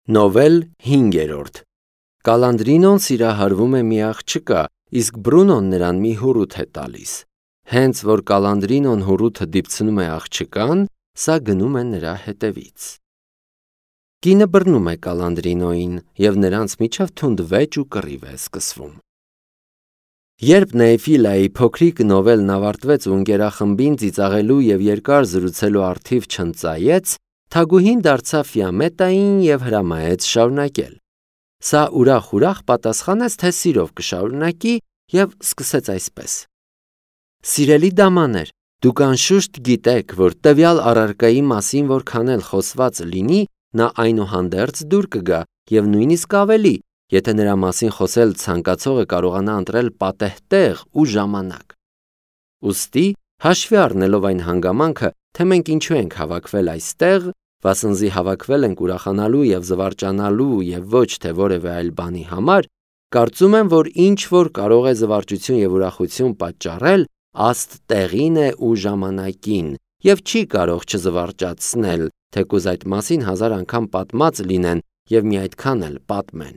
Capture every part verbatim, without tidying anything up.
Նովել հինգերորդ Կալանդրինոն սիրահարվում է մի աղջկա, իսկ Բրունոն նրան մի հուռութ է տալիս։ Հենց որ Կալանդրինոն հուռութը դիպցնում է աղջկան, սա գնում է նրա հետևից։ Կինը բռնում է Կալանդրինոյին, և նրանց միջև թունդ վեճ ու կռիվ է սկսվում։ Երբ Նեեֆիլայի փոքրիկ նովելն ավարտվեց ու ընկերախմբին ծիծաղելու և երկար զրուցելու առթիվ չընծայեց, թագուհին դարձավ Ֆիամետային և հրամայեց շարունակել։ Սա ուրախ-ուրախ պատասխանեց, թե սիրով կշարունակի, և սկսեց այսպես. Սիրելի դամաներ, դուք անշուշտ գիտեք, որ տվյալ առարկայի մասին որքան էլ խոսված լինի, նա այնուհանդերձ դուր կգա և նույնիսկ ավելի, եթե նրա մասին խոսել ցանկացողը կարողանա ընտրել պատեհ տեղ ու ժամանակ։ Ուստի, հաշվի առնելով այն հանգամանքը, թե մենք ինչու ենք հավաքվել այստեղ, վասնզի հավաքվել ենք ուրախանալու և զվարճանալու և ոչ թե որևէ այլ բանի համար, կարծում եմ, որ ինչ որ կարող է զվարճություն և ուրախություն պատճառել, աստ տեղին է ու ժամանակին և չի կարող չզվարճացնել, թեկուզ այդ մասին հազար անգամ պատմած լինեն և մի այդքան էլ պատմեն։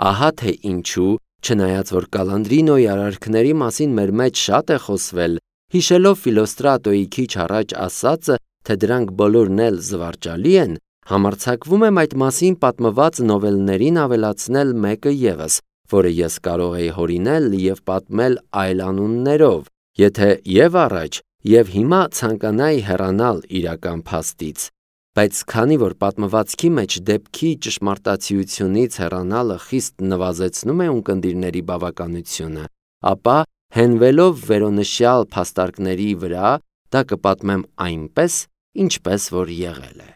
Ահա թե ինչու, չնայած որ Կալանդրինոյի արարքների մասին մեր մեջ շատ է խոսվել, հիշելով Ֆիլոստրատոյի քիչ առաջ ասածը, թե դրանք բոլորն էլ զվարճալի են, համարձակվում եմ այդ մասին պատմված նովելներին ավելացնել մեկը ևս, որը ես կարող էի հորինել և պատմել այլ անուններով, եթե և առաջ, և հիմա ցանկանայի հեռանալ իրական փաստից, բայց քանի որ պատմվածքի մեջ դեպքի ճշմարտացիությունից հեռանալը խիստ նվազեցնում է ունկնդիրների բավականությունը, ապա հենվելով վերոնշյալ փաստարկների վրա, դա կպատմեմ այնպես, ինչպես որ եղել է։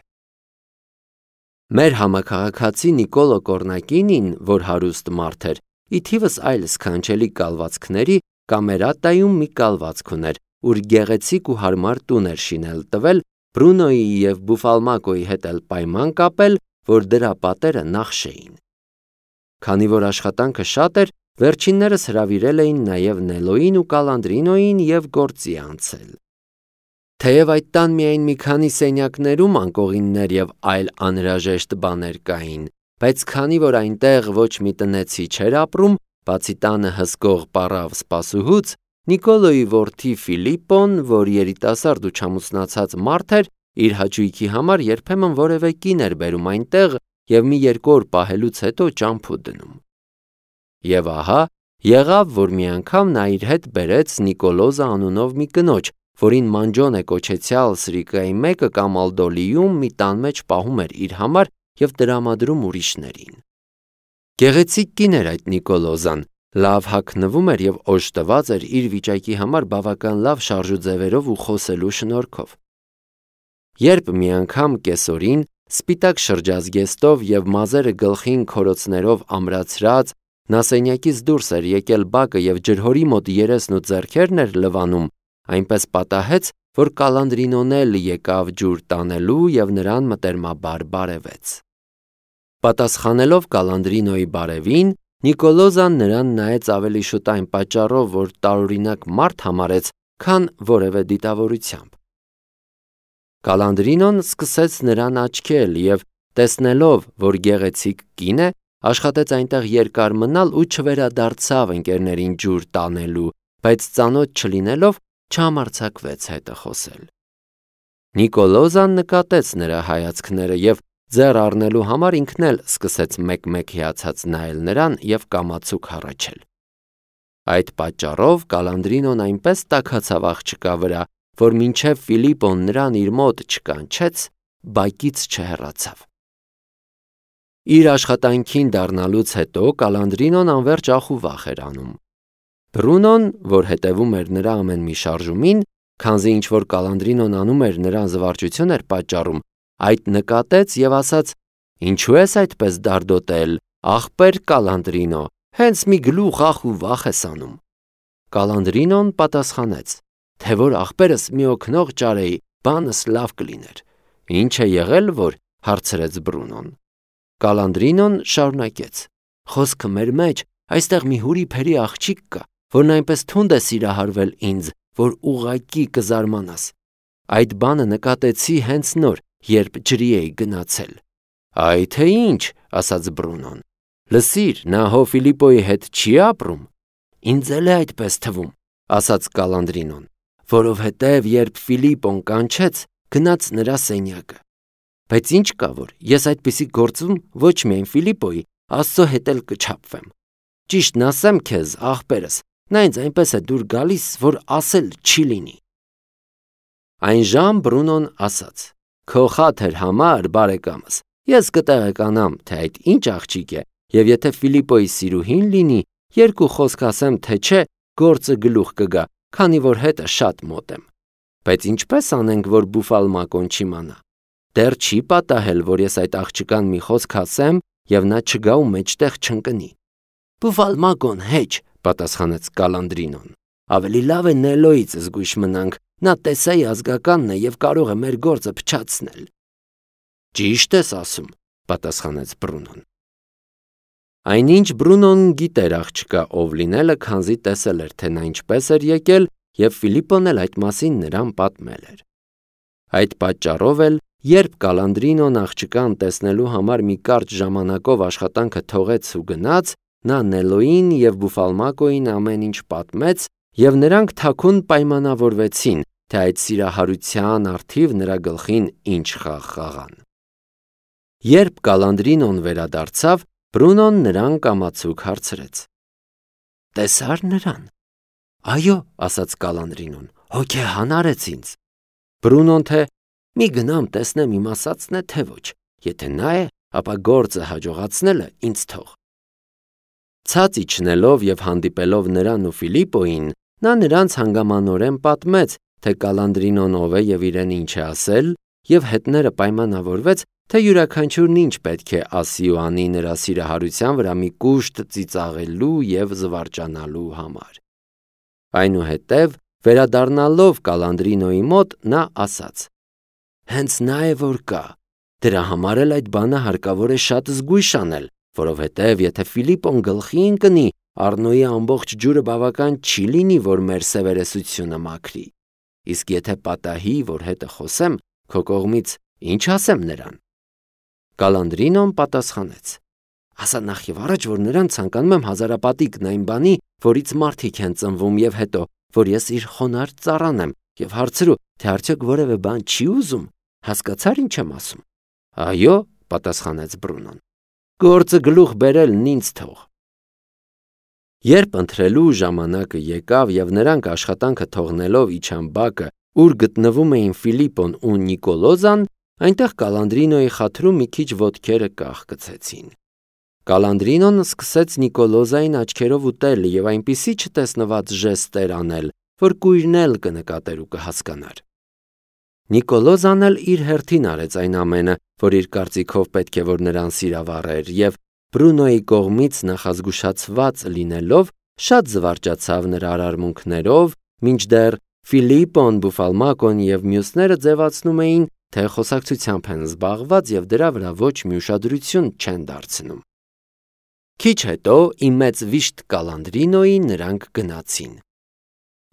Մեր համաքաղաքացի Նիկոլո Կոռնակինին, որ հարուստ մարդ էր, ի թիվս այլ սքանչելի կալվածքների, Կամերատայում մի կալվածք ուներ, ուր գեղեցիկ ու հարմար տուն էր շինել տվել, Բրունոյի և Բուֆալմակոյի հետ էլ պայման կապել, որ դրա պատերը նախշեին։ Քանի որ աշխատանքը շատ էր, վերջիններս հրավիրել էին նաև Նելոյին ու Կալանդրինոյին և գործի անցել։ Թեև այդ տան միայն մի քանի սենյակներում անկողիններ և այլ անհրաժեշտ բաներ կային, բայց քանի որ այնտեղ ոչ մի տնեցի չէր ապրում, բացի տանը հսկող պառավ սպասուհուց, Նիկոլոյի որդի Ֆիլիպպոն, որ երիտասարդ ու չամուսնացած մարդ էր, իր հաճույքի համար երբեմն որևէ կին էր բերում այնտեղ և մի երկու օր պահելուց հետո ճամփու դնում։ Եվ ահա, եղավ, որ մի անգամ նա իր հետ բերեց Նիկոլոզա անունով մի կնոջ, որին Մանջոնե կոչեցյալ սրիկայի մեկը Կամալդոլիում մի տան մեջ պահում էր իր համար և տրամադրում ուրիշներին։ Գեղեցիկ կին էր այդ Նիկոլոզան, լավ հագնվում էր և օժտված էր իր վիճակի համար բավական լավ շարժուձևերով ու խոսելու շնորհքով։ Երբ մի անգամ կեսօրին, սպիտակ շրջազգեստով և մազերը գլխին քորոցներով ամրացրած, նա սենյակից դուրս էր եկել բակը և ջրհորի մոտ երեսն ու ձեռքերն էր լվանում, այնպես պատահեց, որ Կալանդրինոն էլ եկավ ջուր տանելու և նրան մտերմաբար բարևեց։ Պատասխանելով Կալանդրինոյի բարևին, Նիկոլոզան նրան նայեց ավելի շուտ այն պատճառով, որ տարօրինակ մարդ համարեց, քան որևէ դիտավորությամբ։ Կալանդրինոն սկսեց նրան աչքել և, տեսնելով, որ գեղեցիկ կին է, աշխատեց այնտեղ երկար մնալ ու չվերադարձավ ընկերներին ջուր տանելու, բայց ծանոթ չլինելով, չհամարձակվեց հետը խոսել։ Նիկոլոզան նկատեց նրա հայացքները և ձեռ առնելու համար ինքն էլ սկսեց մեկ-մեկ հիացած նայել նրան և կամացուկ հառաչել։ Այդ պատճառով Կալանդրինոն այնպես տաքացավ աղջկա վրա, որ մինչև Ֆիլիպպոն նրան իր մոտ չկանչեց, բակից չհեռացավ։ Իր աշխատանքին դառնալուց հետո Կալանդրինոն անվերջ ախ ու վախ էր անում։ Բրունոն, որ հետևում էր նրա ամեն մի շարժումին, քանզի ինչ որ Կալանդրինոն անում էր, նրան զվարճություն էր պատճառում, այդ նկատեց և ասաց. «Ինչու ես այդպես դարդոտել, ախպեր Կալանդրինո, հենց մի գլուխ ախ ու վախ ես անում»։ Կալանդրինոն պատասխանեց, թե որ ախպերս մի օգնող ճարեի, բանս լավ կլիներ։ Ինչ է եղել, որ, հարցրեց Բրունոն։ Կալանդրինոն շարունակեց. Խոսքը մեր մեջ, այստեղ մի հուրի-փերի աղջիկ կա, որն այնպես թունդ է սիրահարվել ինձ, որ ուղղակի կզարմանաս։ Այդ բանը նկատեցի հենց նոր, երբ ջրի էի գնացել։ Այ թե ինչ, ասաց Բրունոն։ Լսիր, նա հո Ֆիլիպոյի հետ չի ապրում։ Ինձ էլ է այդպես թվում, ասաց Կալանդրինոն, որովհետև երբ Ֆիլիպոն կանչեց, գնաց նրա սենյակը։ Բայց ինչ կա, որ ես այդպիսի գործում ոչ միայն Ֆիլիպոյի, Աստծո հետ էլ կչափվեմ։ Ճիշտն ասեմ քեզ, աղբերս, նա ինձ այնպես է դուր գալիս, որ ասել չի լինի։ Այն ժամ Բրունոն ասաց. Քո խաթր համար, բարեկամս, ես կտեղեկանամ, թե այդ ինչ աղջիկ է, եւ եթե Ֆիլիպոյի սիրուհին լինի, երկու խոսք ասեմ, թե չէ, գործը գլուխ կգա, քանի որ հետը շատ մոտ եմ։ Բայց ինչպես անենք, որ Բուֆալմակոն չիմանա։ Դեռ չի պատահել, որ ես այդ աղջկան մի խոսք ասեմ, եւ նա չգա ու մեջտեղ չընկնի։ Բուֆալմակոն հեչ, պատասխանեց Կալանդրինոն։ Ավելի լավ է Նելոյից զգույշ մնանք, նա տեսայի ազգականն է եւ կարող է մեր գործը փչացնել։ Ճիշտ ես ասում, պատասխանեց Բրունոն։ Այնինչ Բրունոն գիտեր աղջկա ով լինելը, քանզի տեսել էր, թե նա ինչպես էր եկել, եւ Ֆիլիպոն էլ այդ մասին նրան պատմել էր։ Այդ պատճառով էլ, երբ Կալանդրինոն աղջկան տեսնելու համար մի կարճ ժամանակով աշխատանքը թողեց ու գնաց, նա Նելոյին եւ Բուֆալմակոյին ամեն ինչ պատմեց, եւ նրանք թաքուն պայմանավորվեցին, թե այդ սիրահարության առթիվ նրա գլխին ինչ խաղ խաղան։ Երբ Կալանդրինոն վերադարձավ, Բրունոն նրան կամացուկ հարցրեց. Տեսա՞ր նրան։ Այո, ասաց Կալանդրինոն, հոգեհան արեց ինձ։ Բրունոն թե մի գնամ տեսնեմ իմ ասածն է, թե ոչ, եթե նա է, ապա գործը հաջողացնելը ինձ թող։ Ցած իջնելով եւ հանդիպելով նրան ու Ֆիլիպոյին, նա նրանց հանգամանորեն պատմեց, թե Կալանդրինոն ով է եւ իրեն ինչ է ասել, եւ հետները պայմանավորվեց, թե յուրաքանչյուրն ինչ պետք է ասի ու անի նրա սիրահարության վրա մի կուշտ ծիծաղելու եւ զվարճանալու համար։ Այնուհետև, վերադառնալով Կալանդրինոյի մոտ, նա ասաց. Հենց նա է որ կա։ Դրա համար էլ այդ բանը հարկավոր է շատ զգույշ անել, որովհետև եթե Ֆիլիպոն գլխի ընկնի, Առնոյի ամբողջ ջուրը բավական չի լինի, որ մեր սևերեսությունը մաքրի։ Իսկ եթե պատահի, որ հետը խոսեմ, քո կողմից ինչ ասեմ նրան։ Կալանդրինոն պատասխանեց. Ասա նախ եւ առաջ, որ նրան ցանկանում եմ հազարապատիկն այն բանի, որից մարդիկ են ծնվում, եւ հետո, որ ես իր խոնարհ ծառան եմ, եւ հարցրու, թե արդյոք որևէ բան չի ուզում, հասկացար ինչ եմ ասում։ Այո, պատասխանեց Բրունոն։ Գործը գլուխ բերելն ինձ թող։ Երբ ընթրելու ժամանակը եկավ եւ նրանք աշխատանքը թողնելով իջան բակը, ուր գտնվում էին Ֆիլիպոն ու Նիկոլոզան, այնտեղ Կալանդրինոյի խաթրում մի քիչ ոտքերը կախկցեցին։ Կալանդրինոն սկսեց Նիկոլոզային աչքերով ուտել եւ այնպիսի չտեսնված ժեստեր անել, որ կույրն էլ կնկատեր ու կհասկանար։ Նիկոլոզան էլ իր հերթին արեց այն ամենը, որ իր կարծիքով պետք է որ նրան սիրավառեր, եւ Բրունոյի կողմից նախազգուշացված լինելով շատ զվարճացավ նրա արարմունքներով, մինչդեռ Ֆիլիպոն, Բուֆալմակոն եւ մյուսները ձևացնում էին, թե խոսակցությամբ են զբաղված եւ դրա վրա ոչ մի ուշադրություն չեն դարձնում։ Քիչ հետո իմ մեծ վիշտ Կալանդրինոյի նրանք գնացին։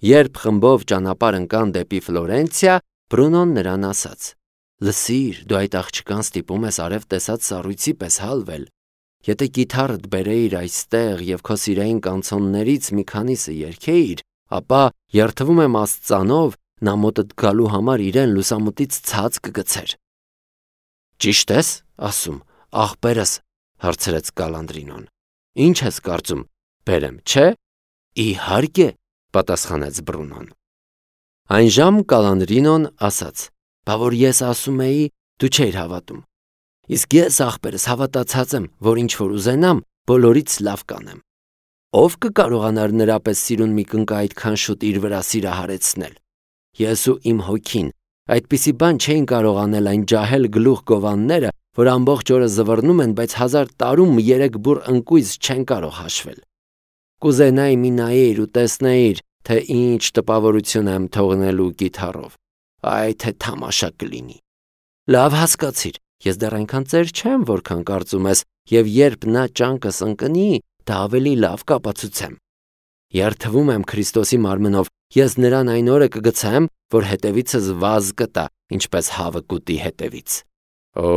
Երբ խմբով ճանապարհ ընկան դեպի Ֆլորենցիա, Բրունոն նրան ասաց. Լսիր, դու այդ աղջկան ստիպում ես արև տեսած սառույցի պես հալվել։ Եթե կիթառդ բերեիր այստեղ եւ քո սիրային կանցոններից մի քանիսը երգեիր, ապա երթվում եմ Աստծանով, նա մոտդ գալու համար իրեն լուսամուտից ցած կգցեր։ Ճիշտ ես ասում, աղբերս, հարցրեց Կալանդրինոն։ Ինչ ես կարծում, բերեմ, չէ։ Իհարկե, պատասխանեց Բրունոն։ Այն ժամ Կալանդրինոն ասաց. Բա որ ես ասում էի, դու չէիր հավատում։ Իսկ ես աղբերս հավատացած եմ, որ ինչ որ ուզենամ, բոլորից լավ կանեմ։ Ով կկարողանար նրա պես սիրուն մի կնկա այդքան շուտ իր վրա սիրահարեցնել։ Ես ու իմ հոգին, այդպիսի բան չէին կարող անել այն ջահել գլուխ գովանները, որ ամբողջ օրը զվռնում են, բայց հազար տարում երեք բուռ ընկույզ չեն կարող հաշվել։ Կուզենայի մի նայեիր ու տեսնեիր, թե ինչ տպավորություն եմ թողնելու կիթառով։ Այ թե թամաշա կլինի։ Լավ հասկացիր, ես դեռ այնքան ծեր չեմ, որքան կարծում ես, եւ երբ նա ճանկս ընկնի, դա ավելի լավ կապացուցեմ։ Երթվում եմ Քրիստոսի մարմնով, ես նրան այն օրը կգցեմ, որ հետևիցս վազ կտա, ինչպես հավը կուտի հետևից։ Օ,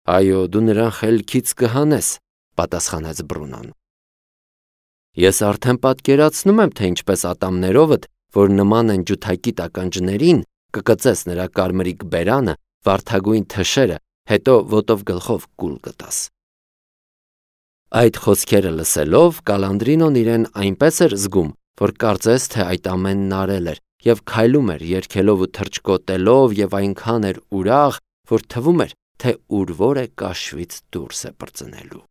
Այո, դու նրան խելքից կհանես, պատասխանեց Բրունոն։ Ես արդեն պատկերացնում եմ, թե ինչպես ատամներովդ, որ նման են ջութակի տականջներին, կկծես նրա կարմրիկ բերանը, վարդագույն թշերը, հետո ոտով գլխով կուլ կտաս։ Այդ խոսքերը լսելով Կալանդրինոն իրեն այնպես էր զգում, որ կարծես թե այդ ամենն արել էր և քայլում էր երգելով ու թռչկոտելով և այնքան էր ուրախ, որ թվում էր, թե ուր-որ է կաշվից դուրս է պրծնելու։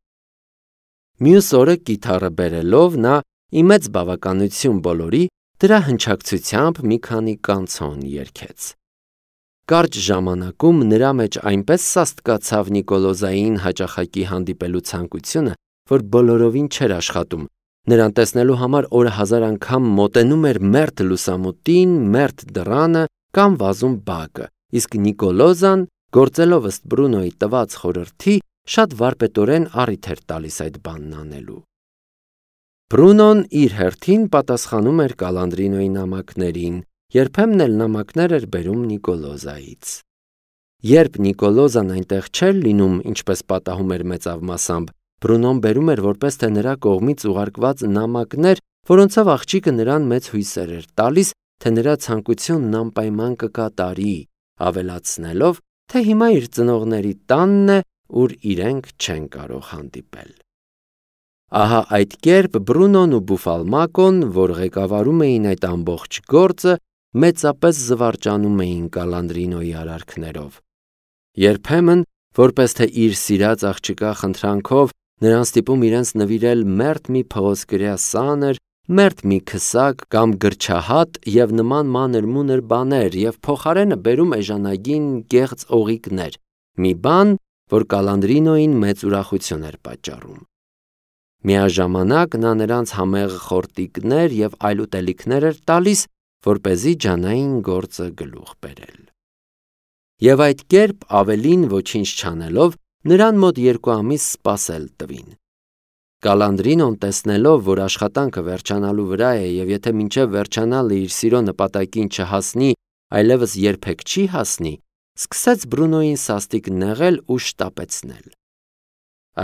Մյուս օրը կիթառը բերելով նա ի մեծ բավականություն բոլորի դրա հնչակցությամբ մի քանի կանցոն երգեց։ Կարճ ժամանակում նրա մեջ այնպես սաստկացավ Նիկոլոզային հաճախակի հանդիպելու ցանկությունը, որ բոլորովին չէր աշխատում։ Նրան տեսնելու համար օրը հազար անգամ մոտենում էր մերթ լուսամուտին, մերթ դռանը կամ վազում բակը, իսկ Նիկոլոզան, գործելով ըստ Բրունոյի տված խորհրդի, շատ վարպետորեն առիթ էր տալիս այդ բանն անելու։ Բրունոն իր հերթին պատասխանում էր Կալանդրինոյի նամակներին, երբեմն էլ նամակներ էր բերում Նիկոլոզայից։ Երբ Նիկոլոզան այնտեղ չէր լինում, ինչպես պատահում էր մեծավ Բրունոն բերում էր որպես թե նրա կողմից ուղարկված նամակներ, որոնցով աղջիկը նրան մեծ հույսեր էր տալիս, թե նրա ցանկությունն անպայման կկատարի, ավելացնելով, թե հիմա իր ծնողների տանն է, ուր իրենք չեն կարող հանդիպել։ Ահա այդ կերպ Բրունոն ու Բուֆալմակոն, որ ղեկավարում էին այդ ամբողջ գործը, մեծապես զվարճանում էին Կալանդրինոյի արարքներով։ Երբեմն, որպես թե իր սիրած աղջկա խնդրանքով, նրան ստիպում իրենց նվիրել մերթ մի փղոսկրյա սանր, մերթ մի քսակ կամ գրչահատ և նման մանր-մունր բաներ և փոխարենը բերում էժանագին գեղձ օղիկներ, մի բան, որ Կալանդրինոյին մեծ ուրախություն էր պատճառում։ Միաժամանակ նա նրանց համեղ խորտիկներ և այլ ուտելիքներ էր տալիս, որպեսզի ջանային գործը գլուխ բերել։ Եվ այդ կերպ ավելին ոչինչ չանելով, նրան մոտ երկու ամիս սպասել տվին։ Կալանդրինոն տեսնելով, որ աշխատանքը վերջանալու վրա է և եթե մինչև վերջանալը իր սիրո նպատակին չհասնի, այլևս երբեք չի հասնի, սկսեց Բրունոյին սաստիկ նեղել ու շտապեցնել։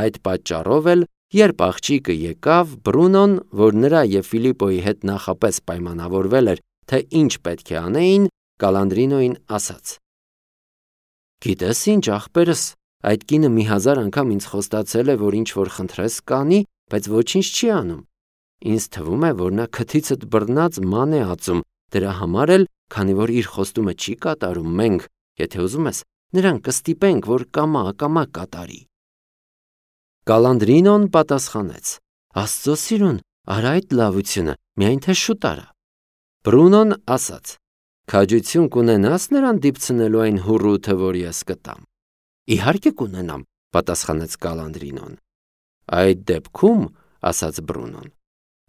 Այդ պատճառով էլ, երբ աղջիկը եկավ, Բրունոն, որ նրա և Ֆիլիպպոյի հետ նախապես պայմանավորվել էր, թե ինչ պետք է անեին, Կալանդրինոյին ասաց. «Գիտես ինչ, ախպերս, այդ կինը մի հազար անգամ ինձ խոստացել է, որ ինչ-որ խնդրես կանի, բայց ոչինչ չի անում։ Ինձ թվում է, որ նա քթիցդ բռնած ման է ածում, դրա համար էլ, քանի որ իր խոստումը չի կատարում, մենք, եթե ուզում ես, նրան կստիպենք, որ կամա-ակամա կատարի»։ Կալանդրինոն պատասխանեց. «Աստծո սիրուն, արա այդ լավությունը, միայն թե շուտ արա»։ Բրունոն ասաց. «Քաջություն կունենա՞ս նրան դիպցնելու այն հուռութը, որ ես կտամ»։ «Իհարկե կունենամ», պատասխանեց Կալանդրինոն։ «Այդ դեպքում, ասաց Բրունոն,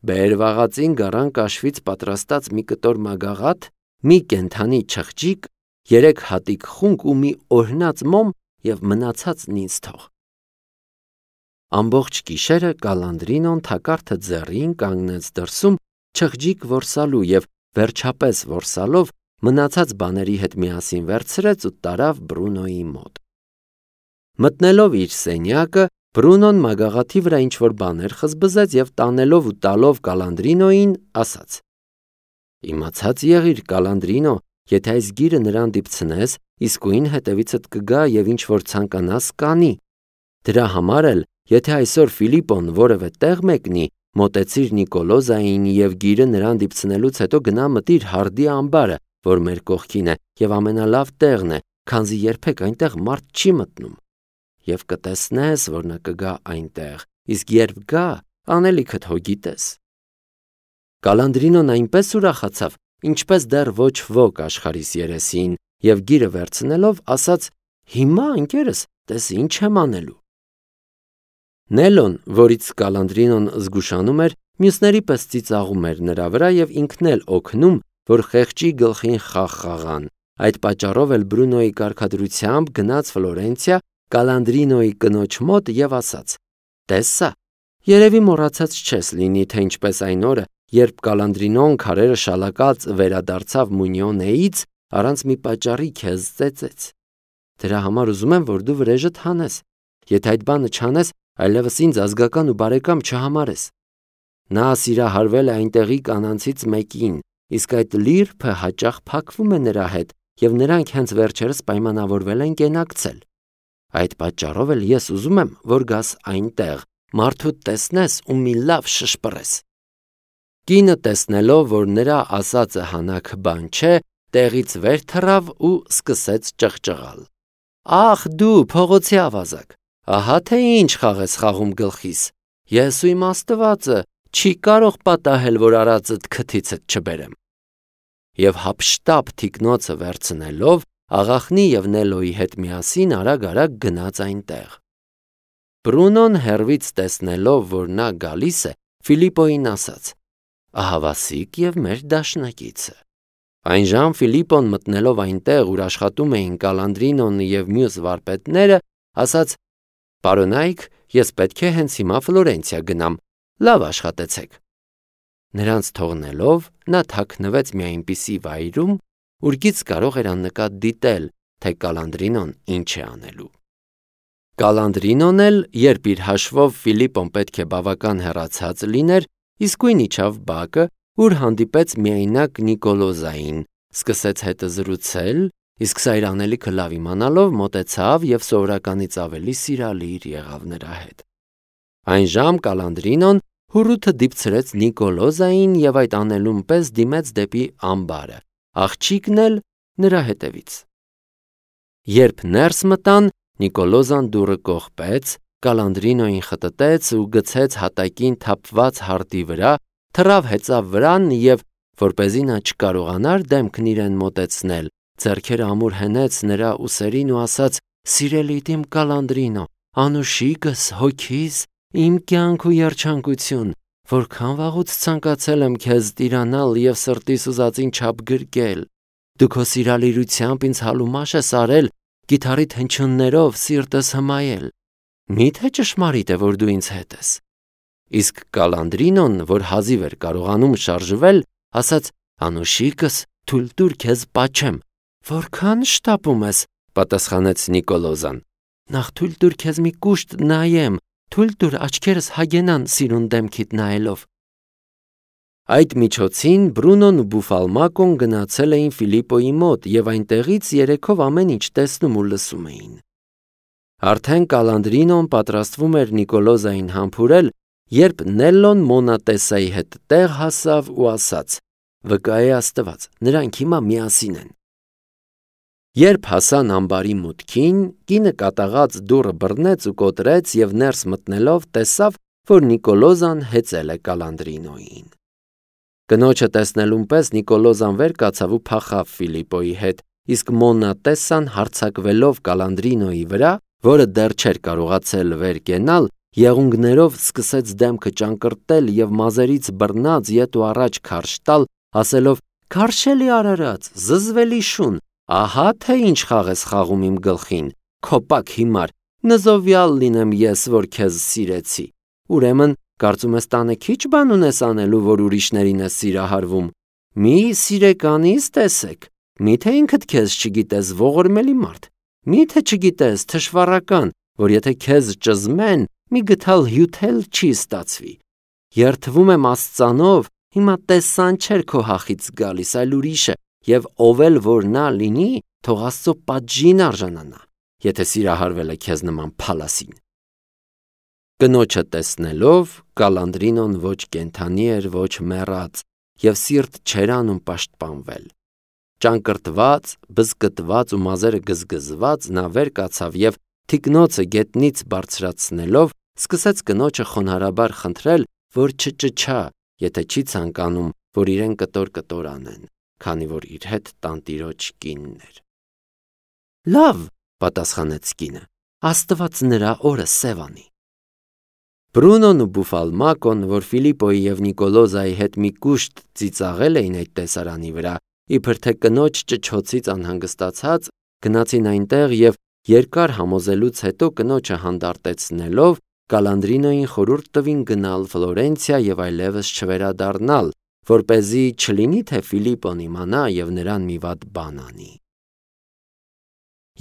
բեր վաղածին գարան կաշվից պատրաստած մի կտոր մագաղաթ, մի կենդանի չղջիկ, երեք հատիկ խունկ ու մի օրհնած մոմ և մնացածն ինձ թող»։ Ամբողջ գիշերը Կալանդրինոն թակարդը ձեռին կանգնեց դրսում չղջիկ որսալու և վերջապես որսալով մնացած բաների հետ միասին վերցրեց ու տարավ Բրունոյի մոտ։ Մտնելով իր սենյակը, Բրունոն մագաղաթի վրա ինչ-որ բաներ խզբզեց և տանելով ու տալով Կալանդրինոյին, ասաց. «Իմացած եղիր, Կալանդրինո, եթե այս գիրը նրան դիպցնես, իսկույն հետևիցդ կգա և ինչ-որ ցանկանաս կանի։ Դրա համար էլ, եթե այսօր Ֆիլիպպոն որևէ տեղ մեկնի, մոտեցիր Նիկոլոզային և գիրը նրան դիպցնելուց հետո գնա մտիր հարդի ամբարը, որ մեր կողքին է և ամենալավ տեղն է, քանզի երբեք այնտեղ մարդ չի մտնում։ Եվ կտեսնես, որ նա կգա այնտեղ, իսկ երբ գա, անելիքդ հո գիտես»։ Կալանդրինոն այնպես ուրախացավ, ինչպես դեռ ոչ ոք աշխարհիս երեսին, և գիրը վերցնելով ասաց. «Հիմա, ընկերս, տես ինչ եմ անելու»։ Նելոն, որից Կալանդրինոն զգուշանում էր, մյուսների պես ծիծաղում էր նրա վրա և ինքն էլ օգնում, որ խեղճի գլխին խաղ խաղան։ Այդ պատճառով էլ Բրունոյի կարգադրությամբ գնաց Ֆլորենցիա Կալանդրինոյի կնոջ մոտ և ասաց. «Տես սա, երևի մոռացած չես լինի, թե ինչպես այն օրը, երբ Կալանդրինոն քարերը շալակած վերադարձավ Մունյոնեից, առանց մի պատճառի քեզ ծեծեց։ Դրա համար ուզում եմ, որ դու վրեժդ հանես, եթե այդ բանը չանես, այլևս ինձ ազգական ու բարեկամ չհամարես։ Նա սիրահարվել է այնտեղի կանանցից մեկին, իսկ այդ լիրփը հաճախ փակվում է նրա հետ, եւ նրանք հենց վերջերս պայմանավորվել են կենակցել։ Այդ պատճառով էլ ես ուզում եմ, որ գաս այնտեղ, մարդուդ տեսնես ու մի լավ շշպռես։ Կինը տեսնելով, որ նրա ասածը հանաք բան չէ, տեղից վեր թռավ ու սկսեց ճղճղալ։ Ախ դու փողոցի ավազակ, ահա թե ինչ խաղ ես խաղում գլխիս, ես ու իմ Աստվածը չի կարող պատահել, որ արածդ քթիցդ չբերեմ։ Եվ հափշտապ թիկնոցը վերցնելով, աղախնի եւ Նելոյի հետ միասին արագ-արագ գնաց այնտեղ։ Բրունոն հեռվից տեսնելով, որ նա գալիս է, Ֆիլիպոյին ասաց. «Ահավասիկ եւ մեր դաշնակիցը»։ Այնժամ Ֆիլիպոն մտնելով այնտեղ, ուր աշխատում էին Կալանդրինոնը եւ մյուս վարպետները, ասաց. «Պարոնայք, ես պետք է հենց հիմա Ֆլորենցիա գնամ, լավ աշխատեցեք»։ Նրանց թողնելով, նա թաքնվեց մի այնպիսի վայրում, ուր գից կարող էր աննկատ դիտել, թե Կալանդրինոն ինչ է անելու։ Կալանդրինոն էլ, երբ իր հաշվով Ֆիլիպոն պետք է բավական հեռացած լիներ, իսկույն իջավ բակը, ուր հանդիպեց միայնակ Նիկոլոզային, սկսեց հետը զրուցել, իսկ սա իր անելիքը լավ իմանալով մոտեցավ եւ սովորականից ավելի սիրալիր եղավ նրա հետ։ Այնժամ Կալանդրինոն հուռութը դիպցրեց Նիկոլոզային եւ այդ անելուն պես դիմեց դեպի ամբարը, աղջիկն էլ նրա հետևից։ Երբ ներս մտան, Նիկոլոզան դուռը կողպեց, Կալանդրինոյին խտտեց ու գցեց հատակին թափված հարտի վրա, թռավ հեծավ վրան եւ, որպեսզի նա չկարողանար դեմքն իրեն մոտեցնել, ձեռքերը ամուր հենեց նրա ուսերին ու ասաց. «Սիրելի իմ Կալանդրինո, անուշիկս, հոգիս, իմ կյանք ու երջանկություն, որքան վաղուց ցանկացել եմ քեզ տիրանալ եւ սրտիս ուզածին չափ գրկել։ Դու քո սիրալիրությամբ ինձ հալումաշ ես արել, կիթառիդ հնչյուններով սիրտս հմայել։ Միթե ճշմարիտ է, որ դու ինձ հետ ես»։ Իսկ Կալանդրինոն, որ հազիվ էր կարողանում շարժվել, ասաց. «Անուշիկս, թույլ տուր քեզ պաչեմ»։ «Որքան շտապում ես», պատասխանեց Նիկոլոզան։ «Նախ թույլ տուր քեզ մի կուշտ նայեմ, թույլ տուր աչքերս հագենան սիրուն դեմքիդ նայելով»։ Այդ միջոցին Բրունոն ու Բուֆալմակոն գնացել էին Ֆիլիպոյի մոտ եւ այնտեղից երեքով ամեն ինչ տեսնում ու լսում էին։ Արդեն Կալանդրինոն պատրաստվում էր Նիկոլոզային համբուրել, երբ Նելլոն Մոնատեսայի հետ տեղ հասավ ու ասաց. «Վկա է Աստված, նրանք հիմա միասին են»։ Երբ հասան ամբարի մուտքին, կինը կատաղած դուռը բռնեց ու կոտրեց եւ ներս մտնելով տեսավ, որ Նիկոլոզան հեծել է Կալանդրինոյին։ Կնոջը տեսնելուն պես Նիկոլոզան վեր կացավ ու փախավ Ֆիլիպոյի հետ, իսկ Մոնատեսան հարձակվելով Կալանդրինոյի վրա, որը դեռ չէր կարողացել վեր կենալ, եղունգներով սկսեց դեմքը ճանկռտել եւ մազերից բռնած ետ ու առաջ քարշ տալ, ասելով. «Քարշելի արարած, զզվելի շուն, ահա թե ինչ խաղ ես խաղում իմ գլխին, քոպակ հիմար, նզովյալ լինեմ ես, որ քեզ սիրեցի։ Ուրեմն կարծում ես տանը քիչ բան ունես անելու, որ ուրիշներին ես սիրահարվում։ Մի սիրեկանից տեսեք, միթե ինքդ քեզ չգիտես ողորմելի մարդ, միթե չգիտես թշվառական, որ եթե քեզ ճզմեն, մի գթալ հյութել չի ստացվի։ Երդվում եմ Աստծանով, հիմա տեսան չէր քո հախից գալիս, այլ ուրիշը, եւ ով էլ որ նա լինի, թող Աստծո պատժին արժանանա, եթե սիրահարվել է քեզ նման փալասին»։ Կնոջը տեսնելով, Կալանդրինոն ոչ կենդանի էր, ոչ մեռած, եւ սիրտ չէր անում պաշտպանվել։ Ճանկռտված, բզկտված ու մազերը գզգզված նա վեր կացավ եւ թիկնոցը գետնից բարձրացնելով սկսեց կնոջը խոնարհաբար խնդրել, որ չճչա, եթե չի ցանկանում, որ իրեն կտոր-կտոր անեն, քանի որ իր հետ տանտիրոջ կինն էր։ «Լավ», պատասխանեց կինը, «Աստված նրա օրը սև անի»։ Բրունոն ու Բուֆալմակոն, որ Ֆիլիպոյի եւ Նիկոլոզայի հետ մի կուշտ ծիծաղել էին այդ տեսարանի վրա, իբր թե կնոջ ճչոցից անհանգստացած, գնացին այնտեղ եւ երկար համոզելուց հետո կնոջը հանդարտեցնելով Կալանդրինոյին խորհուրդ տվին գնալ Ֆլորենցիա եւ այլևս չվերադառնալ, որպեսզի չլինի թե Ֆիլիպոն իմանա եւ նրան մի վատ բան անի։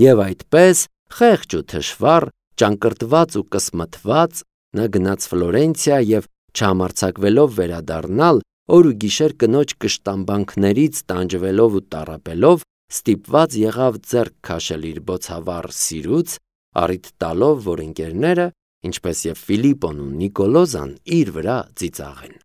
Եվ այդպես խեղճ ու թշվառ Ճանկրտված ու կսմթված նա գնաց Ֆլորենցիա և չհամարձակվելով վերադառնալ, օր ու գիշեր կնոջ կշտամբանքներից տանջվելով ու տառապելով, ստիպված եղավ ձեռք քաշել իր բոցավառ սիրուց, առիթ տալով, որ ընկերները, ինչպես և Ֆիլիպպոն ու Նիկոլոզան, իր վրա ծիծաղեն։